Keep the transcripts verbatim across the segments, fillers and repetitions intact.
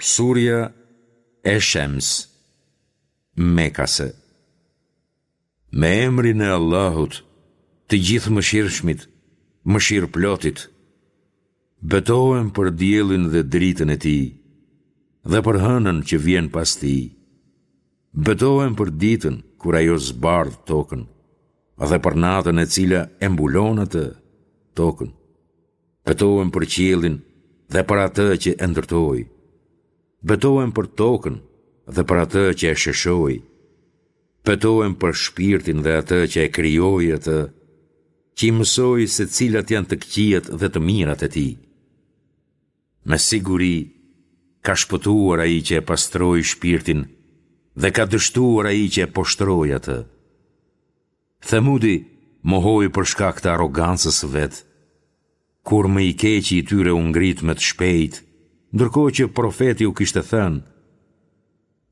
Surja Esh-Shems, Mekase. Me emrin e Allahut, të Gjithëmëshirshmit, Mëshirëplotit. Betohem për diellin dhe dritën e tij, dhe për hënën që vjen pas tij. Betohem për ditën kur ajo zbardh tokën, dhe për natën e cila e mbulon atë, tokën. Betohem për qiellin dhe për atë që e ndërtoi. Betohem për tokën dhe për atë që e sheshoi. Betohem për shpirtin dhe atë që e krijoi atë, që i mësoi se cilat janë të këqijat dhe të mirat e tij. Me siguri ka shpëtuar ai që e pastroi shpirtin dhe ka dështuar ai që e poshtëroi atë. Themudi mohoi për shkak të arrogancës së vet. Kur më i keqi i tyre u ngrit me të shpejtë, ndërkohë që profeti u kishte thënë: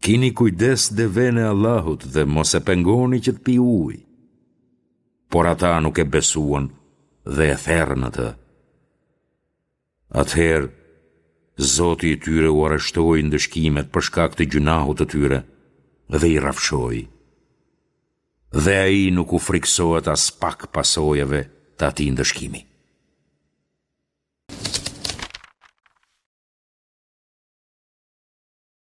Kini kujdes devenë e Allahut dhe mos e pengoni që të pijë ujë. Por ata nuk e besuan dhe e therën atë. Atëherë, Zoti i tyre u arrestoi ndëshkimet për shkak të gjynahut të tyre dhe i rrafshoi. Dhe ai nuk u frikësohet aspak pasojave të atij ndëshkimi.